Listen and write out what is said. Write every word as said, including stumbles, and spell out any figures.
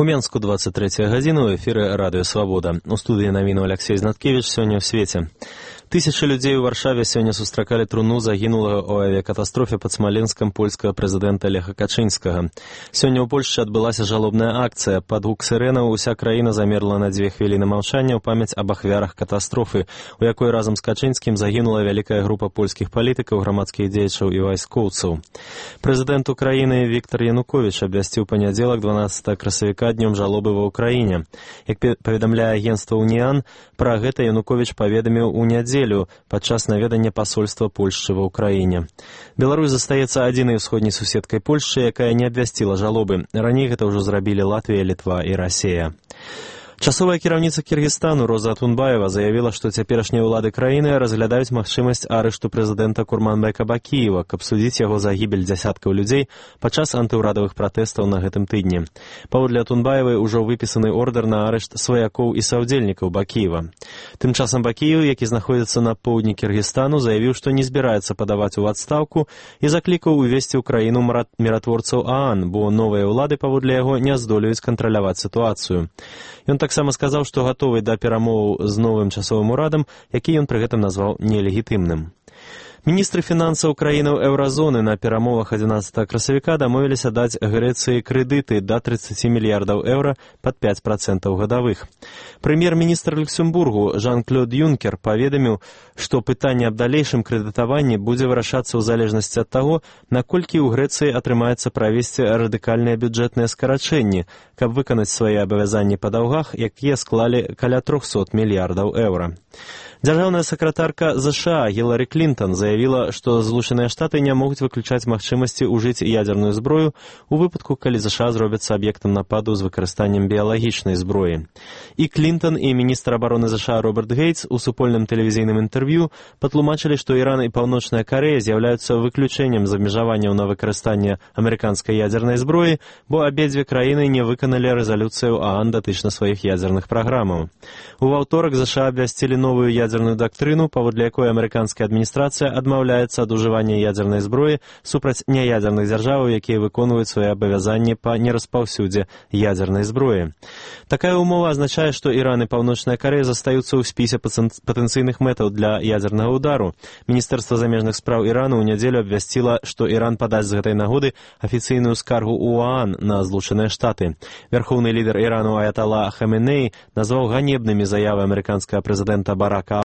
У Менску двадцать третья гадзіна, у эфіры радыё «Свабода». У студыі навіну Алексей Знаткевич сёння ў свеце. Тысячы людзей у Варшаве сёння сустракалі труну загінулага ў авіякатастрофе пад Смаленскам польскага прэзідэнта Леха Качынскага. Сёння ў Польшчы адбылася жалобная акцыя. Пад гук сірэнаў уся краіна замерла на дзве хвіліны маўчання ў памяць аб ахвярах катастрофы, у якой разам з Качынскім загінула вялікая група польскіх палітыкаў, грамадскіх дзеячаў і вайскоўцаў. Прэзідэнт Украіны Віктор Януковіч абвясціў панядзелак дванаццатага красавіка днём жалобы ва Ўкраіне. Як паведамляе агенцтва «Уніан», пра гэта Януковіч паведаміў у нядзелю падчас наведання пасольства Польшчы ва Ўкраіне. Беларусь застаецца адзінай усходняй суседкай Польшчы, якая не абвясціла жалобы. Раней гэта ўжо зрабілі Латвія, Літва і Расія. Часовая кіраўніца Кіргізстану Роза Атунбаева заявіла, што цяперашнія ўлады краіны разглядаюць магчымасць арышту прэзідэнта Курманбека Бакіева, каб судзіць яго за гібель дзясяткаў людзей падчас антыўрадавых пратэстаў на гэтым тыдні. Паводле Атунбаевай ужо выпісаны ордэр на арышт сваякоў і саўдзельнікаў Бакіева. Тым часам Бакіев, які знаходзіцца на поўдні Кіргізстану, заявіў, што не збіраецца падаваць у адстаўку і заклікаў увесці ў краіну міратворцаў ААН, бо новыя ўлады паводле яго не здолеюць кантраляваць сітуацыю. Ён таксама сказаў, што гатовы да перамоваў з новым часовым урадам, які ён пры гэтым назваў нелегітымным. Міністры фінансаў краінаў еўразоны на перамовах адзінаццатага красавіка дамовіліся даць Грэцыі крэдыты да трыццаць мільярдаў еўра пад пяць працэнтаў гадавых. Прэм'ер-міністр Люксембургу Жан-Клод Юнкер паведаміў, што пытанне аб далейшым крэдытаванні будзе вырашацца ў залежнасці ад таго, наколькі ў Грэцыі атрымаецца правесці радыкальныя бюджэтныя скарачэнні, каб выканаць свае абавязанні па даўгах, якія склалі каля трохсот мільярдаў еўра. Дзяржаўная сакратарка ЗША Гілары Клінтон заявіла, што Злучаныя Штаты не могуць выключаць магчымасці ўжыць ядзерную зброю у выпадку, калі ЗША зробяцца аб'ектам нападу з выкарыстаннем біялагічнай зброі. І Клінтон, і міністр абароны ЗША Роберт Гейтс у супольным тэлевізійным інтэрв'ю патлумачылі, што Іран і Паўночная Карэя з'яўляюцца выключэннем з абмежаванняў на выкарыстанне амерыканскай ядзернай зброі, бо абедзве краіны не выканалі рэзалюцыю ААН датычна сваіх ядзерных праграмаў. У аўторак ЗША абвясцілі новую ядзерную дактрыну, паводле якой амерыканская адміністрацыя адмаўляецца ад ужывання ядзернай зброі супраць няядзерных дзяржаваў, якія выконваюць свае абавязанні па нераспаўсюдзе ядзернай зброі. Такая ўмова азначае, што Іран і Паўночная Карэя застаюцца ў спісе патэнцыйных мэтаў для ядзернага ўдару. Міністэрства замежных спраў Ірану ў нядзелю абвясціла, што Іран падасць з гэтай нагоды афіцыйную скаргу ў ОАН на Злучаныя Штаты. Вярхоўны лідар Ірану Аятала Хаменеі назваў ганебнымі заявы амерыканскага прэзідэнта Барака